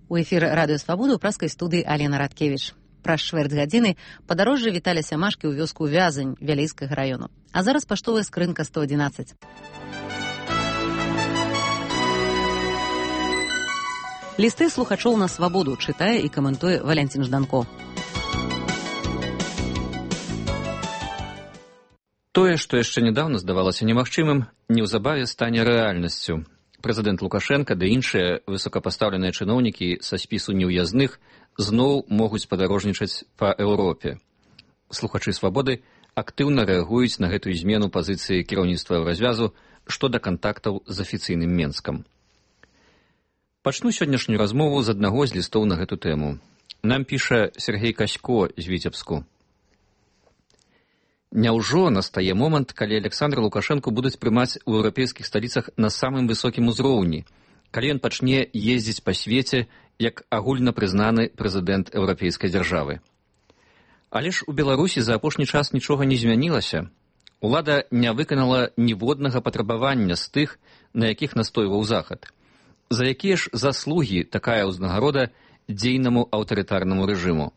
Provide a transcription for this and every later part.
У эфір радыё Свабода ў праскай студыі Алена Радкевіч. Праз чвэрць гадзіны падарожжа Віталя Сямашкі ў вёску Вязань Вялейскага раёну. А зараз паштовая скрынка 111. Лісты слухачоў на Свабоду чытае і каментуе Валянцін Жданко. Тое, што яшчэ нядаўна здавалася немагчымым, неўзабаве стане рэальнасцю. Прэзідэнт Лукашенка ды іншыя высокапастаўленыя чыноўнікі са спісу неўязных зноў могуць падарожнічаць па Еўропе. Слухачы Свабоды актыўна рэагуюць на гэтую змену пазіцыі кіраўніцтва развязу што да кантактаў з афіцыйным Менскам. Пачну сённяшнюю размову з аднаго з лістоў на гэту тэму. Нам піша Сергей Касько з Віцебску. Няўжо настае момант, калі Александра Лукашэнку будуць прымаць у еўрапейскіх сталіцах на самым высокім узроўні, калі ён пачне ездзіць па свеце як агульна прызнаны прэзідэнт еўрапейскай дзяржавы. Але ж у Беларусі за апошні час нічога не змянілася. Улада не выканала ніводнага патрабавання з тых, на якіх настойваў Захад. За якія ж заслугі такая ўзнагарода дзейнаму аўтарытарнаму рэжыму?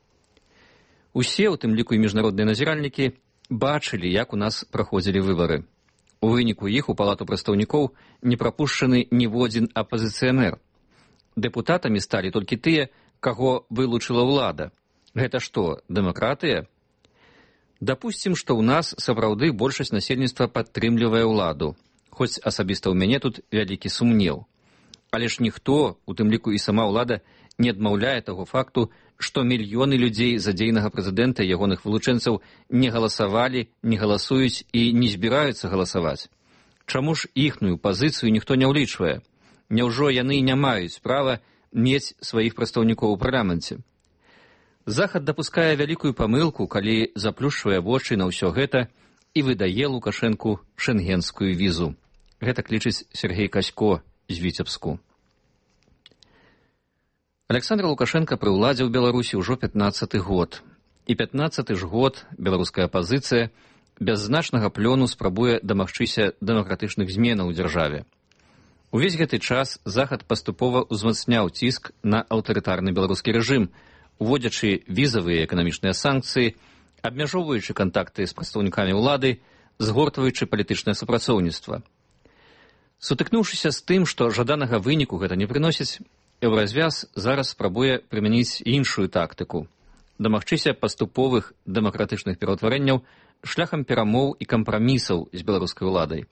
Усе, у тым ліку і міжнародныя назіральнікі, бачылі, як у нас праходзілі выбары. У выніку іх у палату прадстаўнікоў не прапушчаны ніводзін апазіцыянер. Дэпутатамі сталі толькі тыя, каго вылучыла ўлада. Гэта што, дэмакратыя? Дапусцім, што ў нас сапраўды большасць насельніцтва падтрымлівае ўладу, хоць асабіста ў мяне тут вялікі сумнеў. Але ж ніхто, у тым ліку і сама ўлада, не адмаўляе таго факту, што мільёны людзей за дзейнага прэзідэнта і ягоных вылучэнцаў не галасавалі, не галасуюць і не збіраюцца галасаваць. Чаму ж іхную пазіцыю ніхто не ўлічвае? Няўжо яны не маюць права мець сваіх прадстаўнікоў у парламенце? Захад дапускае вялікую памылку, калі заплюшчвае вочы на ўсё гэта і выдае Лукашэнку шэнгенскую візу. Гэта лічыць Сергей Касько з Віцебску. Александр Лукашенко пры ўладзе ў Беларусі ўжо 15-ы год. І 15-ы ж год беларуская апазіцыя без значнага плёну спрабуе дамагчыся дэмакратычных зменаў у дзяржаве. Увесь гэты час Захад паступова ўзмацняў ціск на аўтарытарны беларускі рэжым, уводзячы візавыя эканамічныя санкцыі, абмяжоўваючы кантакты з прадстаўнікамі ўлады, згортваючы палітычнае супрацоўніцтва. Сутыкнуўшыся з тым, што жаданага выніку гэта не прыносіць, Еўразвяз зараз спрабуе прымяніць іншую тактыку, дамагчыся паступовых дэмакратычных пераўтварэнняў шляхам перамоў і кампрамісаў з беларускай уладай.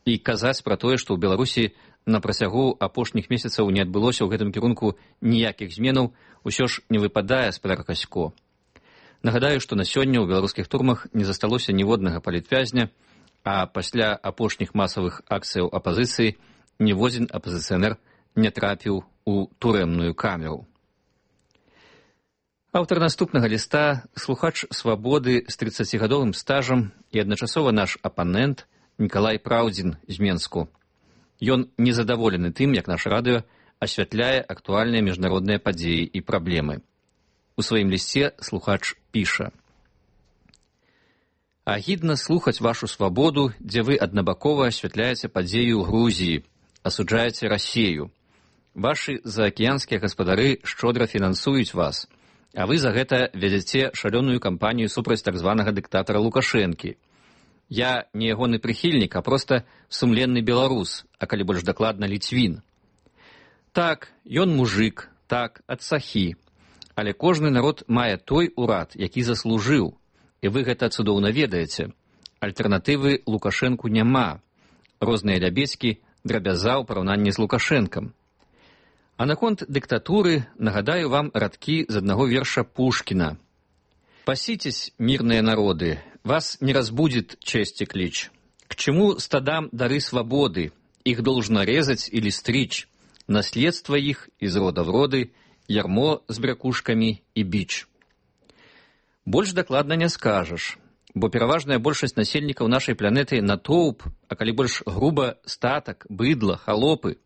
І казаць пра тое, што ў Беларусі на працягу апошніх месяцаў не адбылося ў гэтым кірунку ніякіх зменаў, усё ж не выпадае з-пад Касько. Нагадаю, што на сёння ў беларускіх турмах не засталося ніводнага палітвязня, а пасля апошніх масавых акцыяў апазіцыі ніводзін апазіцыянер не трапіў у турэмную камеру. Аўтар наступнага ліста – слухач Свабоды з 30-гадовым стажам і адначасова наш апанент Нікалай Праўдзін з Менску. Ён незадаволены тым, як наш радыё асвятляе актуальныя міжнародныя падзеі і праблемы. У сваім лісце слухач піша: «Агідна слухаць вашу Свабоду, дзе вы аднабакова асвятляеце падзею ў Грузіі, асуджаеце Расею. Вашы заакіянскія гаспадары шчодра фінансуюць вас, а вы за гэта вядзяце шалёную кампанію супраць так званага дыктатара Лукашэнкі. Я не ягоны прыхільнік, а проста сумленны беларус, а калі больш дакладна ліцвін. Так, ён мужык, так, ад сахі, але кожны народ мае той урад, які заслужыў, і вы гэта цудоўна ведаеце. Альтэрнатывы Лукашэнку няма. Розныя лябедзькі, драбяза ў параўнанні з Лукашэнкам. А наконт дыктатуры нагадаю вам радкі з аднаго верша Пушкіна. «Паситесь, мирные народы, вас не разбудит честь и клич. К чему стадам дары свободы? Их должно резать или стричь. Наследство их из рода в роды, ярмо с брякушками и бич». Больш дакладна не скажаш, бо пераважная большасць насельнікаў нашай планеты натоўп, а калі больш груба статак, быдла, халопы.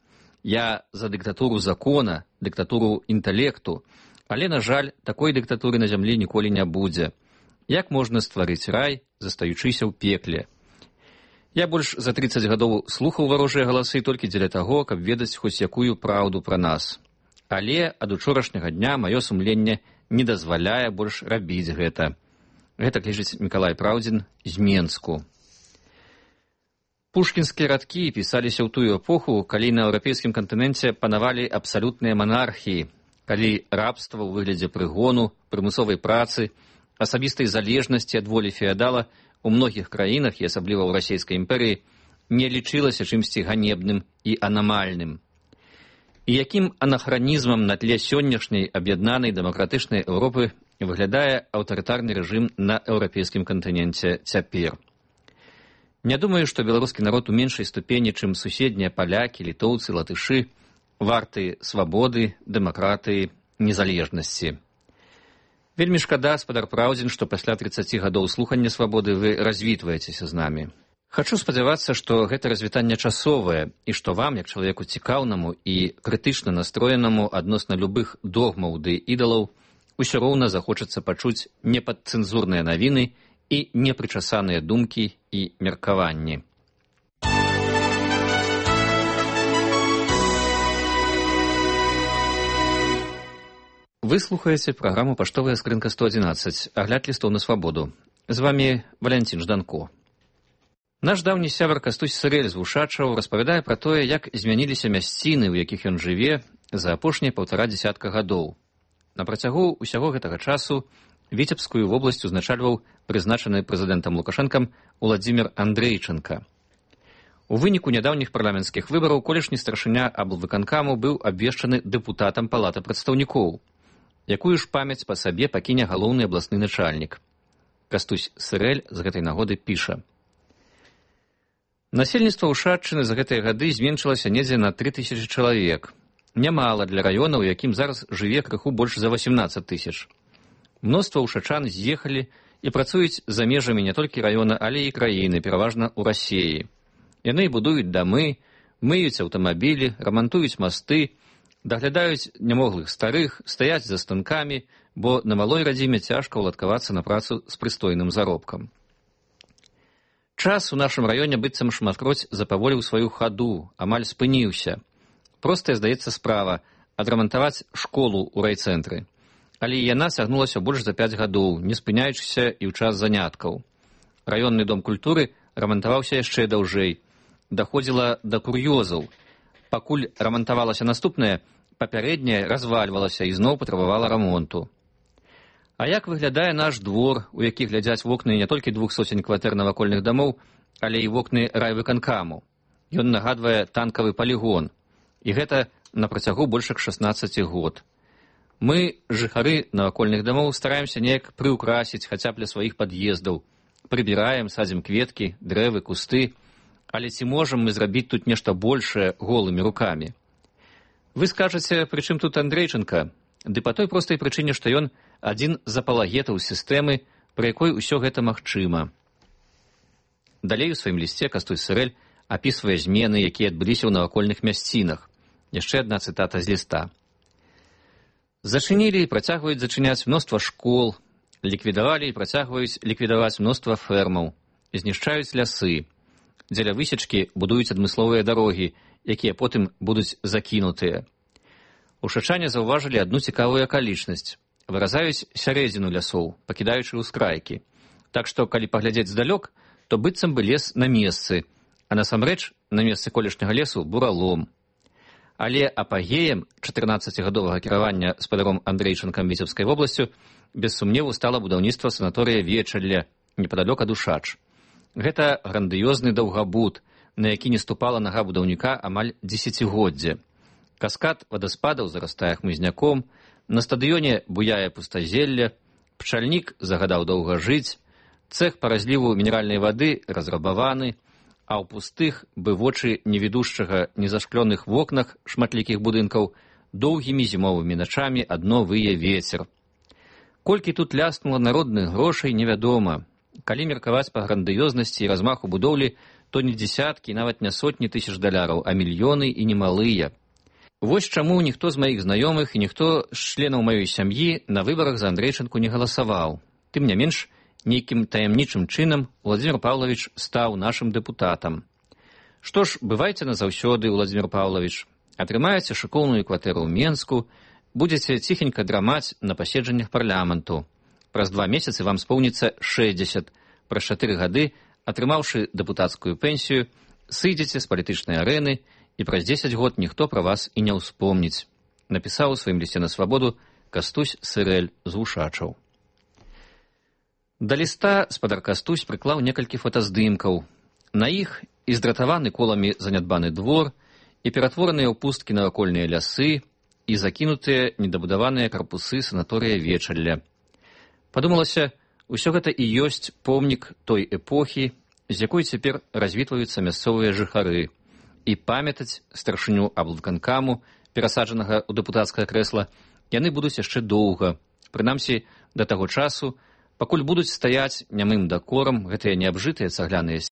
Я за дыктатуру закона, дыктатуру інтэлекту, але, на жаль, такой дыктатуры на зямлі ніколі не будзе. Як можна стварыць рай, застаючыся ў пекле? Я больш за 30 гадоў слухаў варожыя галасы толькі дзеля таго, каб ведаць хоць якую праўду пра нас. Але ад учорашняга дня маё сумленне не дазваляе больш рабіць гэта. Гэта лічыць Мікалай Праўдзін з Менску. Пушкінскія радкі пісаліся ў тую эпоху, калі на еўрапейскім кантыненце панавалі абсалютныя манархіі, калі рабства ў выглядзе прыгону, прымусовай працы, асабістай залежнасці ад волі феадала у многіх краінах, і асабліва ў расійскай імперыі, не лічылася чымсьці ганебным і анамальным. І якім анахранізмам на тле сённяшняй аб'яднанай дэмакратычнай Еўропы выглядае аўтарытарны рэжым на еўрапейскім кантыненце цяпер. Не думаю, што беларускі народ у меншай ступені, чым суседнія палякі, літоўцы, латышы, варты свабоды, дэмакратыі, незалежнасці. Вельмі шкада, спадар Праўдзін, што пасля 30 гадоў слухання свабоды вы развітваецеся з намі. Хачу спадзявацца, што гэта развітанне часовае, і што вам, як чалавеку цікаўнаму і крытычна настроенаму адносна любых догмаў ды ідалаў, усё роўна захочацца пачуць непадцэнзурныя навіны і непрычасаныя думкі і меркаванні. Вы слухаеце праграму «Паштовая скрынка 111», агляд лістоў на свабоду. З вамі Валянцін Жданко. Наш даўні сябар Кастусь Сырэль з Вушачаў распавядае пра тое, як змяніліся мясціны, у якіх ён жыве за апошнія 1,5 дзесятка гадоў. На працягу ўсяго гэтага часу Віцебскую вобласць узначальваў прызначаны прэзідэнтам Лукашэнкам Уладзімір Андрейчанка. У выніку нядаўніх парламенцкіх выбараў колішні старшыня аблвыканкаму быў абвешчаны дэпутатам Палаты прадстаўнікоў. Якую ж памяць па сабе пакіне галоўны абласны начальнік. Кастусь Сырэль з гэтай нагоды піша. Насельніцтва Ушаччыны за гэтыя гады зменшылася недзе на 3000 чалавек. Нямала для раёна, у якім зараз жыве крыху больш за 18 000. Мноства ушачан з'ехалі і працуюць за межамі не толькі раёна, але і краіны, пераважна ў Расіі. Яны будуюць дамы, мыюць аўтамабілі, рамантуюць масты, даглядаюць нямоглых старых, стаяць за станкамі, бо на малой радзіме цяжка ўладкавацца на працу з прыстойным заробкам. Час у нашым раёне быццам шматкроць запаволіў сваю хаду, амаль спыніўся. Простая, здаецца, справа — адрамантаваць школу ў райцэнтры. Але яна сягнулася больш за 5 гадоў, не спыняючыся і ў час заняткаў. Раённы дом культуры рамантаваўся яшчэ даўжэй. Даходзіла да кур'ёзаў. Пакуль рамантавалася наступнае, папярэдняе развальвалася і зноў патрабавала рамонту. А як выглядае наш двор, у які глядзяць вокны не толькі 200 кватэр навакольных дамоў, але і вокны райвыканкаму. Ён нагадвае танкавы палігон. І гэта на працягу больш як 16 год. Мы, жыхары навакольных дамоў, стараемся неяк прыўкрасіць хаця б для сваіх пад'ездаў. Прыбіраем, садзім кветкі, дрэвы, кусты. Але ці можам мы зрабіць тут нешта большае голымі рукамі? Вы скажаце, пры чым тут Андрейчанка? Ды па той простай прычыне, што ён адзін з апалагетаў сістэмы, пры якой усё гэта магчыма. Далей у сваім лісце Кастусь Сырэль апісвае змены, якія адбыліся ў навакольных мясцінах. Яшчэ адна цытата з ліста. Зачынілі і працягваюць зачыняць мноства школ, ліквідавалі і працягваюць ліквідаваць мноства фермаў, знішчаюць лясы. Дзеля высечкі будуюць адмысловыя дарогі, якія потым будуць закінутыя. Ушачане заўважылі адну цікавую акалічнасць. Выразаюць сярэдзіну лясоў, пакідаючы ўскрайкі. Так што, калі паглядзець здалёк, то быццам бы лес на месцы, а насамрэч на месцы колішняга лесу буралом. Але апагеем 14гадовага кіравання спадаром Андрейчанкам Віцебскай вобласцю без сумневу стала будаўніцтва санаторыя Вечалля, непадалёк ад Ушач. Гэта грандыёзны даўгабуд, на які не ступала нага будаўніка амаль дзесяцігоддзе. Каскад вадаспадаў зарастае хмызняком, на стадыёне буяе пустазелле, пчальнік загадаў доўга жыць, цэх па разліву мінеральнай вады разрабаваны, а ў пустых, бы вочы невідушчага незашклёных вокнах шматлікіх будынкаў доўгімі зімовымі начамі адно вые вецер. Колькі тут ляснула народных грошай, невядома. Калі меркаваць па грандыёзнасці і размаху будоўлі, то не дзесяткі, нават не сотні тысяч даляраў, а мільёны і немалыя. Вось чаму ніхто з маіх знаёмых і ніхто з членаў маёй сям'і на выбарах за Андрейчанку не галасаваў. Тым не менш, нейкім таямнічым чынам Уладзімір Паўлавіч стаў нашым дэпутатам. Што ж, бывайце назаўсёды, Уладзімір Паўлавіч. Атрымаеце шыкоўную кватэру ў Менску, будзеце ціхенька драмаць на паседжаннях парламенту. Праз 2 месяцы вам споўніцца 60. Праз 4 гады, атрымаўшы дэпутацкую пенсію, сыдзеце з палітычнай арэны, і праз 10 год ніхто пра вас і не ўспомніць. Напісаў у сваім лісце на свабоду Кастусь Сырэль з Вушачаў. Да ліста спадар Кастусь прыклаў некалькі фотаздымкаў. На іх і здратаваны коламі занядбаны двор, і ператвораныя ў пусткі навакольныя лясы, і закінутыя недабудаваныя карпусы санаторыя Вечалля. Падумалася, усё гэта і ёсць помнік той эпохі, з якой цяпер развітваюцца мясцовыя жыхары, і памятаць старшыню аблвыканкаму, перасаджанага ў дэпутацкае крэсла, яны будуць яшчэ доўга, прынамсі да таго часу, пакуль будуць стаяць нямым дакорам гэтыя неабжытыя цагляныя